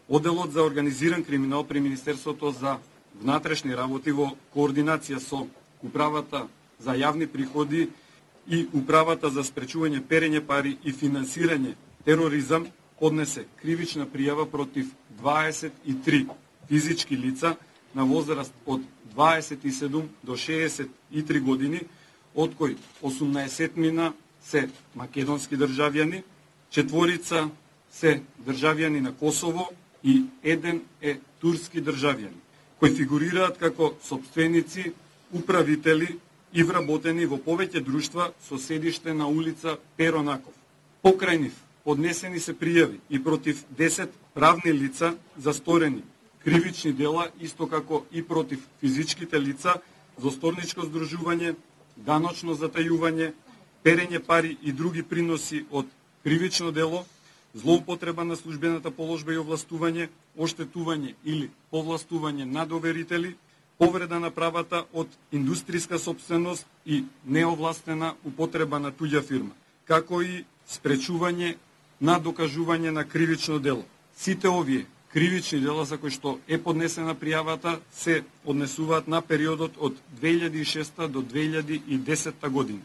Оделот за организиран криминал при Министерството за внатрешни работи во координација со Управата за јавни приходи и Управата за спречување перење пари и финансирање тероризам поднесе кривична пријава против 23 физички лица на возраст од 27 до 63 години, од кои 18 се македонски државјани, 4 се државјани на Косово и 1 е турски државјани, кои фигурираат како сопственици, управители и вработени во повеќе друштва со седиште на улица Перо Наков. Покрај нив поднесени се пријави и против 10 правни лица за сторени кривични дела, исто како и против физичките лица за сторничко здружување, даночно затајување, перење пари и други приноси од кривично дело, злоупотреба на службената положба и овластување, оштетување или повластување на доверители, повреда на правата од индустријска сопственост и неовластена употреба на туѓа фирма, како и спречување на докажување на кривично дело. Сите овие кривични дела за кои што е поднесена пријавата се однесуваат на периодот од 2006 до 2010 година.